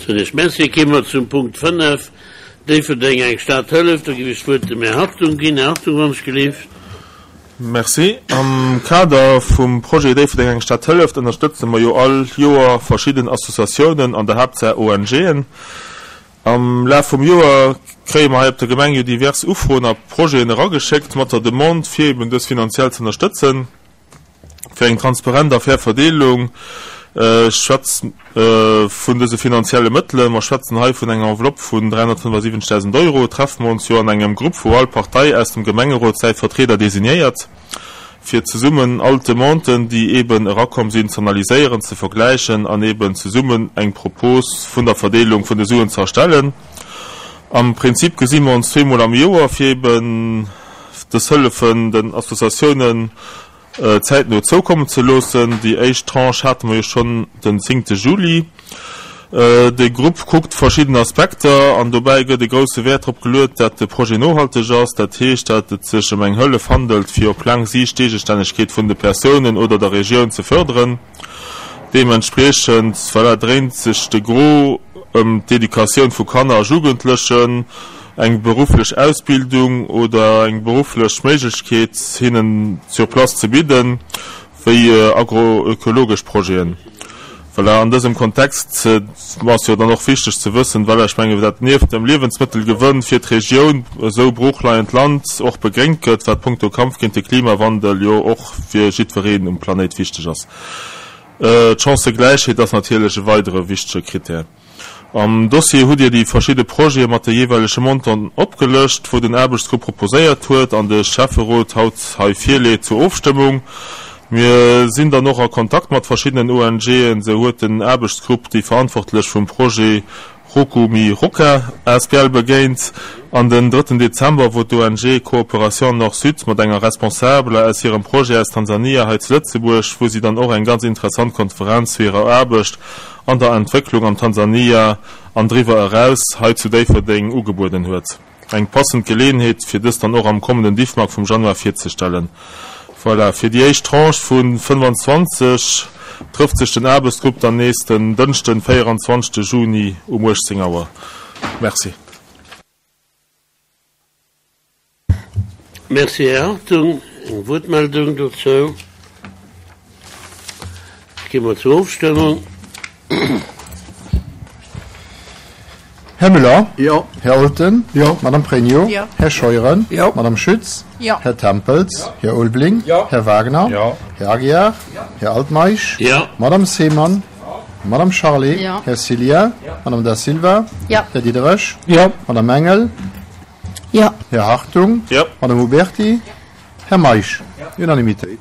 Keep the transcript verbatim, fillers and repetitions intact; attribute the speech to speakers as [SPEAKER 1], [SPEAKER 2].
[SPEAKER 1] Soen ech Merci. Gi mer zum Punkt fënnef, Déifferdeng, eng Stad hëlleft. Do géif ech d'Wuert dem Här Hartung ginn. Här Hartung, wann ech gelift.
[SPEAKER 2] Merci. Am Kader vum Projet Déifferdeng, eng Stad hëlleft ënnerstëtze mer jo all Joer verschidden Associatiounen, an der Haaptsaach O N Gen. Am Laf vum Joer kréie mer hei op der Gemeng jo divers Ufroen a Projeten erageschéckt mat der Demande, fir eben dës finanziell ze ënnerstëtzen. Fir eng transparent a fair Verdeelung schwätz vun dëse finanzielle Mëttelen, mer schwätzen hei vun enger Enveloppe vun dräihonnertfënnefasiwwenzegdausend Euro, treffe mer ons jo an engem Grupp, wou all Partei aus dem Gemengerot säi Vertrieder designéiert, fir zesummen all d'Demanden, déi eben erakomm sinn, ze analyséieren, ze vergläichen an eben zesummen eng Propos vun der Verdeelung vun de Suen ze erstellen. Am Prinzip gesi mer ons zweemol am Joer, fir eben dës Hëllefen den Associatiounen zäitno zoukommen ze loossen. Déi éischt Tranche hate mer jo schonn den zéngte Juli. De Grupp kuckt verschidden Aspekter an dobäi gëtt e grousse Wäert drop geluet, dat de Projet nohalteg ass. Dat heescht, dat et sech ëm eng Hëllef handelt, fir op laang Siicht d'Eegestännegkeet vun de Persounen oder der Regioun ze fërderen. Deementspriechend, voilà, dréint sech de Gros ëm d'Educatioun vu Kanner a Jugendlechen, eng berufflech Ausbildung oder eng berufflech Méiglechkeet hinnen sur place ze bidden, wéi agroökologesch Projeten. Voilà, an dësem Kontext ass jo dann och wichteg ze wëssen, voilà, ech mengen, dat nieft dem Liewensmëttelgewënn fir d'Regioun esou broochleiend Land och begréngt gëtt, wat punkto Kampf géint de Klimawandel jo och fir jiddwereen um Planéit wichteg ass. D'Chancëgläichheet ass natierlech e weidere wichtege Krittär. Am Dossier hutt Dir déi verschidde Projete mat de jeeweilege Montanten opgelëscht, wou den Aarbechtsgrupp proposéiert huet an de Schäfferot haut hei virleet zur Ofstëmmung. Mir sinn dann och a Kontakt mat verschiddenen O N Gen. Sou huet den Aarbechtsgrupp déi Verantwortlech vum Projet Rukumi Ruka A S B L begéint an den drëtten Dezember wor d'O N G Coopération Nord-Sud mat enger Responsabler aus hirem Projet aus Tansania hei zu Lëtzebuerg, wou si dann och eng ganz interessant Konferenz zu hirer Aarbecht an der Entwécklung am Tansania an driwwer eraus hei zu Déifferdeng ugebueden huet. Eng passend Geleeënheet, fir dës dann och am kommenden Diffmag vum Januar virzestellen. Voilà, fir déi éischt Tranche vu fënnfanzwanzeg trëfft sech den Aarbechtsgrupp dann nees den Dënschden, véierundzwanzegste Juni um uechtzéng Auer. Merci.
[SPEAKER 1] Merci, Här Hartung. Eng Wuertmeldung dozou? Gi mer zur Ofstëmmung.
[SPEAKER 3] Här Müller?
[SPEAKER 4] Jo.
[SPEAKER 3] Här Olten?
[SPEAKER 4] Jo.
[SPEAKER 3] Madame Pregno?
[SPEAKER 5] Jo.
[SPEAKER 3] Här Scheuren?
[SPEAKER 4] Jo.
[SPEAKER 3] Madame Schütz?
[SPEAKER 5] Jo.
[SPEAKER 3] Här Tempels? Här Ulbling?
[SPEAKER 4] Jo.
[SPEAKER 3] Här Wagner?
[SPEAKER 2] Jo.
[SPEAKER 3] Här Aguiar? Här Altmeisch?
[SPEAKER 1] Jo.
[SPEAKER 3] Madame Seemann? Madame Charlé?
[SPEAKER 5] Jo.
[SPEAKER 3] Här Cillien? Madame Da Silva?
[SPEAKER 5] Jo.
[SPEAKER 3] Här Diderich?
[SPEAKER 4] Jo.
[SPEAKER 3] Madame Engel?
[SPEAKER 5] Jo.
[SPEAKER 3] Här Hartung?
[SPEAKER 2] Jo.
[SPEAKER 3] Madame Huberti? Här Meisch? Unanimitéit.